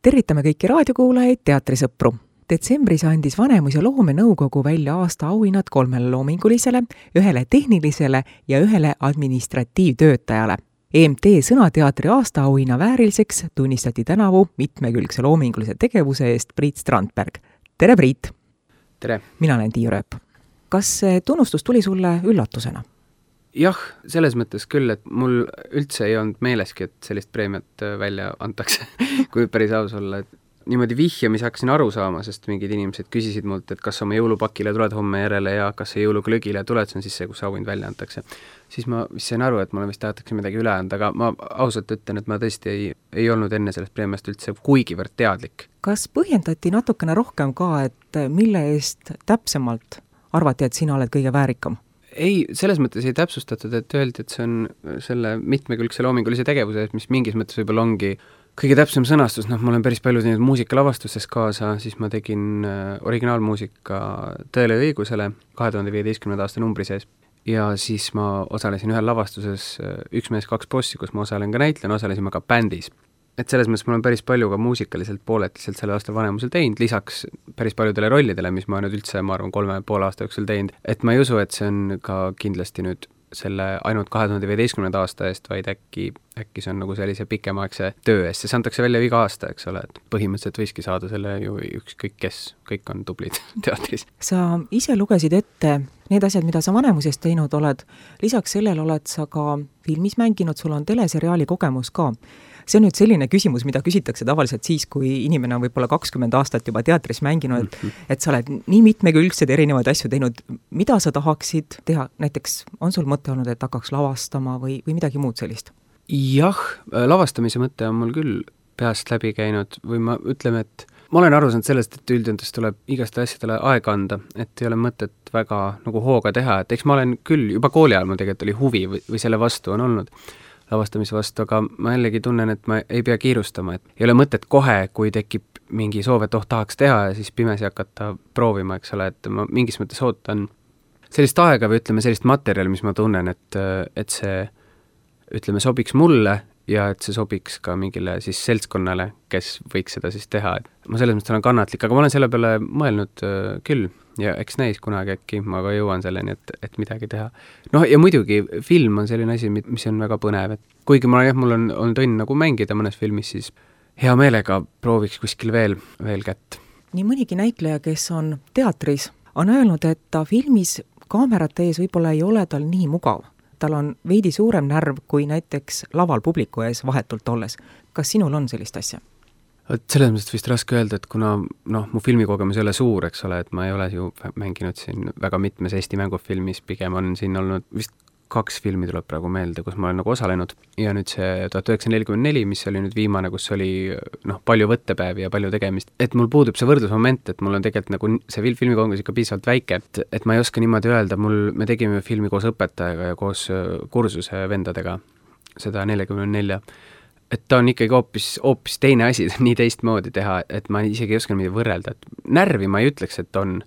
Tervitame kõiki raadiokuulajaid, teatrisõpru. Detsembris andis Vanemus- ja Loomenõukogu välja aasta auhinnad 3 loomingulisele, 1 tehnilisele ja 1 administratiivtöötajale. EMT Sõnateatri aastaauhinna vääriliseks tunnistati tänavu mitmekülgse loomingulise tegevuse eest Priit Strandberg. Tere, Priit! Tere! Mina olen Tiiu Rööp. Kas see tunnustus tuli sulle üllatusena? Jah, selles mõttes küll, et mul üldse ei olnud meeleski, et sellist preemiat välja antakse, kui päris aus olla. Et niimoodi vihjamise hakkasin aru saama, sest mingid inimesed küsisid mult, et kas oma jõulupakile tuled homme järele ja kas see jõuluglögile tuled, see on siis see, kus auhind välja antakse. Siis ma sain aru, et mulle vist tahetakse midagi üle anda, aga ma ausalt ütlen, et ma tõesti ei olnud enne sellest preemiast üldse kuigivõrd teadlik. Kas põhjendati natukene rohkem ka, et mille eest täpsemalt arvati, et sina oled kõige väärikam? Ei, selles mõttes ei täpsustatud, et öeldi, et see on selle mitmekülgse loomingulise tegevuse, mis mingis mõttes võib-olla ongi kõige täpsem sõnastus. Ma olen päris palju teinud muusikalavastustes kaasa, siis ma tegin originaalmuusika Tõele ja õigusele 2015. aasta numbri sees. Ja siis ma osalesin ühel lavastuses Üks mees, kaks bossi, kus ma osalen ka näitlejana, osalesin ma ka bändis. Et selles mõttes ma olen päris palju ka muusikaliselt pooletiselt selle aastal Vanemusel teinud, lisaks päris paljudele rollidele, mis ma nüüd üldse, ma arvan, 3,5 aasta jooksul teinud. Et ma ei usu, et see on ka kindlasti nüüd selle ainult 2015. aasta eest, vaid äkki see on nagu sellise pikemaaegse töö eest. See antakse välja iga aasta, eks ole, et põhimõtteliselt võiski saada selle ju ükskõik kes, kõik on tublid teatris. Sa ise lugesid ette need asjad, mida sa Vanemuses teinud oled. Lisaks sellele oled sa ka filmis mänginud, sul on teleseriaali kogemus ka. See on nüüd selline küsimus, mida küsitakse tavaliselt siis, kui inimene on võib-olla 20 aastat juba teatris mänginud, et sa oled nii mitmekülgsed erinevaid asju teinud. Mida sa tahaksid teha? Näiteks on sul mõte olnud, et hakkaks lavastama või midagi muud sellist? Jah, lavastamise mõte on mul küll peast läbi käinud või ma ütleme, et ma olen aru saanud sellest, et üldjöntes tuleb igaste asjadele aega anda, et ei ole mõtet väga nagu hooga teha, et eks ma olen küll, juba kooli ajal mul tegelikult oli huvi või selle vastu on olnud lavastamise vastu, aga ma jällegi tunnen, et ma ei pea kiirustama, et ei ole mõtet kohe, kui tekib mingi soov, et tahaks teha ja siis pimesi hakata proovima, eks ole, et ma mingis mõttes ootan sellist aega või ütleme sellist materjali, mis ma tunnen, et see ütleme sobiks mulle ja et see sobiks ka mingile siis seltskonnale, kes võiks seda siis teha. Et ma selles mõttes olen kannatlik, aga ma olen selle peale mõelnud küll ja eks näis kunagi äkki ma ka jõuan selleni, et midagi teha. Ja muidugi film on selline asi, mis on väga põnev, et kuigi mul on õnn nagu mängida mõnes filmis, siis hea meelega prooviks kuskil veel kätt. Nii mõnigi näitleja, kes on teatris, on öelnud, et ta filmis kaamerate ees võib-olla ei ole tal nii mugav. Tal on veidi suurem närv kui näiteks laval publiku ees vahetult olles. Kas sinul on sellist asja? Selles mõttes vist raske öelda, et kuna mu filmikogemus ei ole suur, eks ole, et ma ei ole ju mänginud siin väga mitmes Eesti mängufilmis, pigem on siin olnud vist 2 filmi tuleb praegu meelde, kus ma olen nagu osalenud ja nüüd see 1944, mis oli nüüd viimane, kus oli palju võttepäevi ja palju tegemist, et mul puudub see võrdlusmoment, et mul on tegelikult nagu see filmikogemus ikka piisavalt väike, et ma ei oska niimoodi öelda, me tegime filmi koos õpetajaga ja koos kursuse vendadega, seda 44, et ta on ikkagi hoopis teine asi, nii teistmoodi teha, et ma isegi ei oska midagi võrrelda, et närvi ma ei ütleks, et on,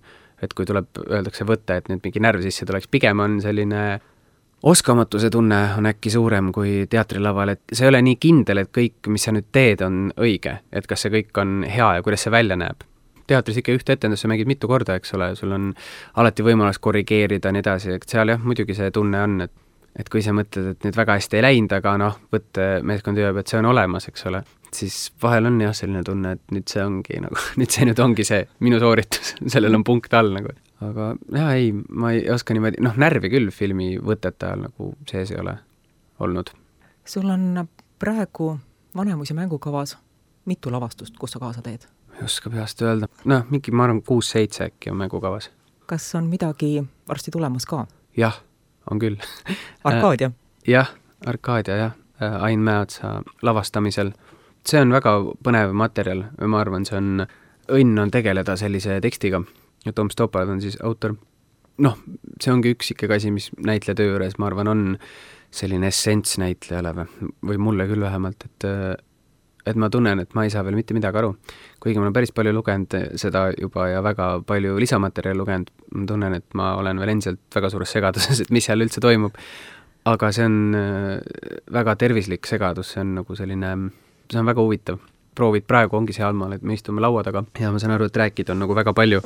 et kui öeldakse võtta, et nüüd mingi närv sisse tuleks, pigem on selline oskamatuse tunne on äkki suurem kui teatrilaval, et see ei ole nii kindel, et kõik, mis sa nüüd teed, on õige, et kas see kõik on hea ja kuidas see välja näeb. Teatris ikka ühte etendusse mängid mitu korda, eks ole, sul on alati võimalus korrigeerida nii edasi, et seal jah, muidugi see tunne on, et kui sa mõtled, et nüüd väga hästi ei läinud, aga võttemeeskond ütleb, et see on olemas, eks ole, siis vahel on jah selline tunne, et nüüd see ongi see minu sooritus, sellel on punkt all nagu. Aga jah, ei, ma ei oska niimoodi, närvi küll filmi võtete ajal nagu sees ei ole olnud. Sul on praegu Vanemus- ja mängukavas mitu lavastust, kus sa kaasa teed? Ei oska peast öelda. Mingi, ma arvan, 6-7 äkki on mängukavas. Kas on midagi varsti tulemas ka? Jah, on küll. Arkaadia? Jah, Arkaadia, jah. Ain Mäeotsa lavastamisel. See on väga põnev materjal. Ma arvan, see on õnn on tegeleda sellise tekstiga. Ja Tom Stoppard on siis autor. See ongi üks ikkagi asi, mis näitleja töö juures, ma arvan, on selline essents näitlejale või mulle küll vähemalt, et ma tunnen, et ma ei saa veel mitte midagi aru. Kuigi ma olen päris palju lugenud seda juba ja väga palju lisamaterjali lugenud, ma tunnen, et ma olen veel endiselt väga suures segaduses, et mis seal üldse toimub. Aga see on väga tervislik segadus, see on nagu selline, see on väga huvitav. proovid praegu ongi sealmaal, et me istume laua taga ja ma saan aru, et rääkida on nagu väga palju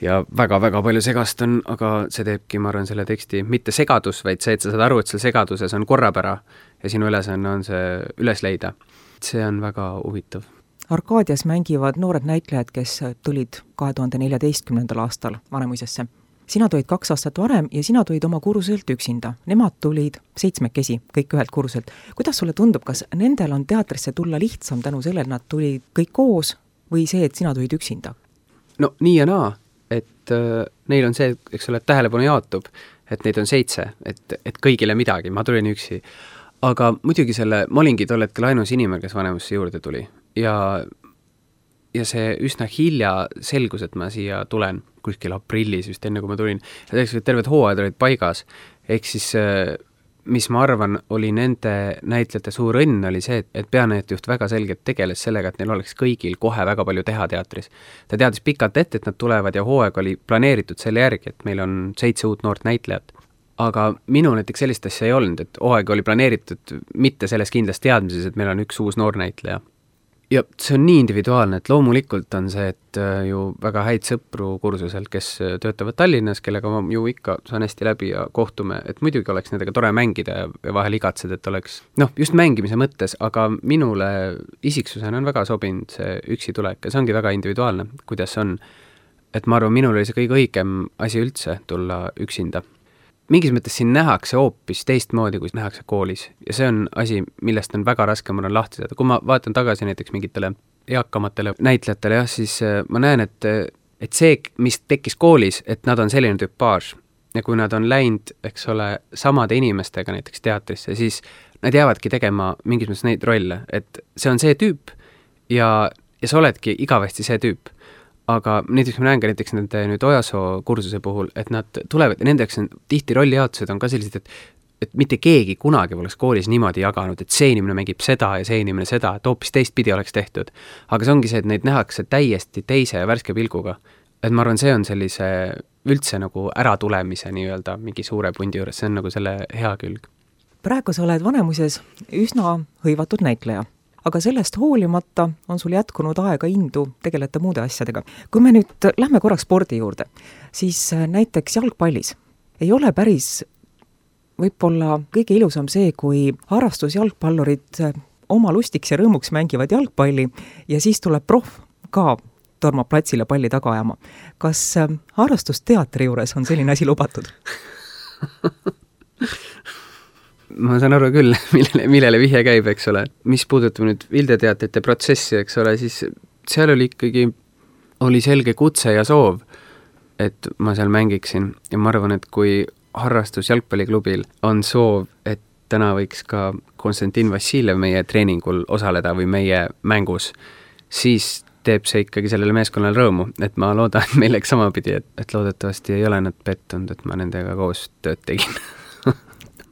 ja väga-väga palju segast on, aga see teebki, ma arvan, selle teksti mitte segadus, vaid see, et sa saad aru, et seal segaduses on korrapära ja sinu ülesanne on see üles leida. See on väga huvitav. Arkaadias mängivad noored näitlejad, kes tulid 2014. aastal Vanemuisesse. Sina tulid 2 aastat varem ja sina tulid oma kursuselt üksinda. Nemad tulid 7, kõik ühelt kursuselt. Kuidas sulle tundub, kas nendel on teatrisse tulla lihtsam tänu sellele, et nad tulid kõik koos või see, et sina tulid üksinda? No nii ja naa, et neil on see, eks ole, et tähelepanu jaotub, et neid on 7, et kõigile midagi, ma tulin üksi. Aga muidugi ma olingi tol hetkel ainus inimene, kes Vanemusse juurde tuli ja see üsna hilja selgus, et ma siia tulen kuskil aprillis, just enne kui ma tulin, ja tegelikult terved hooajad olid paigas, ehk siis mis ma arvan, oli nende näitlejate suur õnn, oli see, et peanäitlejuht väga selgelt tegeles sellega, et neil oleks kõigil kohe väga palju teha teatris. Ta teadis pikalt ette, et nad tulevad ja hooaeg oli planeeritud selle järgi, et meil on 7 uut noort näitlejat. Aga minu näiteks sellist asja ei olnud, et hooaeg oli planeeritud mitte selles kindlas teadmises, et meil on üks uus noor näitleja. Ja see on nii individuaalne, et loomulikult on see, et ju väga häid sõpru kursuselt, kes töötavad Tallinnas, kellega ma ju ikka saan hästi läbi ja kohtume, et muidugi oleks nendega tore mängida ja vahel igatsed, et oleks, just mängimise mõttes, aga minule isiksusena on väga sobinud see üksi tulek ja see ongi väga individuaalne, kuidas on. Et ma arvan, minul oli see kõige õigem asi üldse tulla üksinda. Mingis mõttes siin nähakse hoopis teistmoodi, kui nähakse koolis. Ja see on asi, millest on väga raske mul on lahti saada. Kui ma vaatan tagasi näiteks mingitele eakamatele näitlejatele, siis ma näen, et see, mis tekkis koolis, et nad on selline tüpaaž. Ja kui nad on läinud, eks ole, samade inimestega näiteks teatrisse, siis nad jäävadki tegema mingis mõttes neid rolle. Et see on see tüüp ja sa oledki igavesti see tüüp. Aga näiteks ma näen ka näiteks nende nüüd Ojasoo kursuse puhul, et nad tulevad ja nendeks on tihti rollijaotused on ka sellised, et mitte keegi kunagi oleks koolis niimoodi jaganud, et see inimene mängib seda ja see inimene seda, et hoopis teistpidi oleks tehtud. Aga see ongi see, et neid nähakse täiesti teise ja värske pilguga. Et ma arvan, see on sellise üldse nagu äratulemise nii-öelda mingi suure pundi juures, see on nagu selle hea külg. Praegu sa oled Vanemuises üsna hõivatud näitleja. Aga sellest hoolimata on sul jätkunud aega indu tegeleda muude asjadega. Kui me nüüd lähme korraks spordi juurde, siis näiteks jalgpallis ei ole päris võib-olla kõige ilusam see, kui harrastusjalgpallurid oma lustiks ja rõõmuks mängivad jalgpalli ja siis tuleb proff ka tormab platsile palli taga ajama. Kas harrastusteatri juures on selline asi lubatud? Ma saan aru küll, millele vihje käib, eks ole. Mis puudutab nüüd Vildeteatrite protsessi, eks ole, siis seal oli selge kutse ja soov, et ma seal mängiksin. Ja ma arvan, et kui harrastus jalgpalliklubil on soov, et täna võiks ka Konstantin Vassiljev meie treeningul osaleda või meie mängus, siis teeb see ikkagi sellele meeskonnale rõõmu. Et ma loodan, et meil läks samapidi, et loodetavasti ei ole nad pettunud, et ma nendega koos tööd tegin.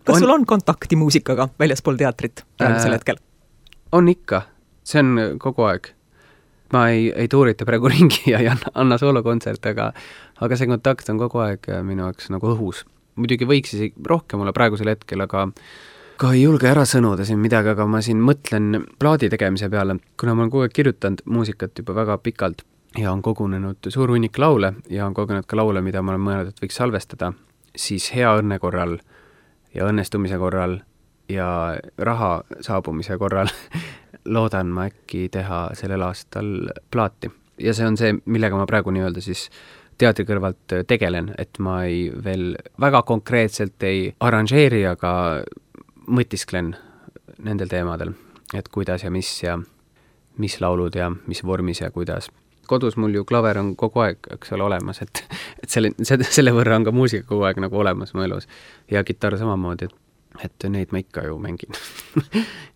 Kas sul on kontakti muusikaga väljaspool teatrit praegusel hetkel? On ikka. See on kogu aeg. Ma ei tuurita praegu ringi ja ei anna soolokontsert, aga see kontakt on kogu aeg minu jaoks nagu õhus. Muidugi võiks isegi rohkem olla praegusel hetkel, aga ka ei julge ära sõnuda siin midagi, aga ma siin mõtlen plaadi tegemise peale, kuna ma olen kogu aeg kirjutanud muusikat juba väga pikalt ja on kogunenud suur hunnik laule ja on kogunenud ka laule, mida ma olen mõelnud, et võiks salvestada, siis hea õnne korral ja õnnestumise korral ja raha saabumise korral loodan ma äkki teha sellel aastal plaati. Ja see on see, millega ma praegu nii-öelda siis teatri kõrvalt tegelen, et ma veel väga konkreetselt ei arranžeeri, aga mõtisklen nendel teemadel, et kuidas ja mis laulud ja mis vormis ja kuidas. Kodus mul ju klaver on kogu aeg, eks ole, olemas, et selle võrra on ka muusika kogu aeg nagu olemas mu elus ja kitarr samamoodi, et neid ma ikka ju mängin.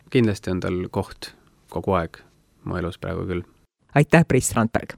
Kindlasti on tal koht kogu aeg mu elus praegu küll. Aitäh, Priit Strandberg!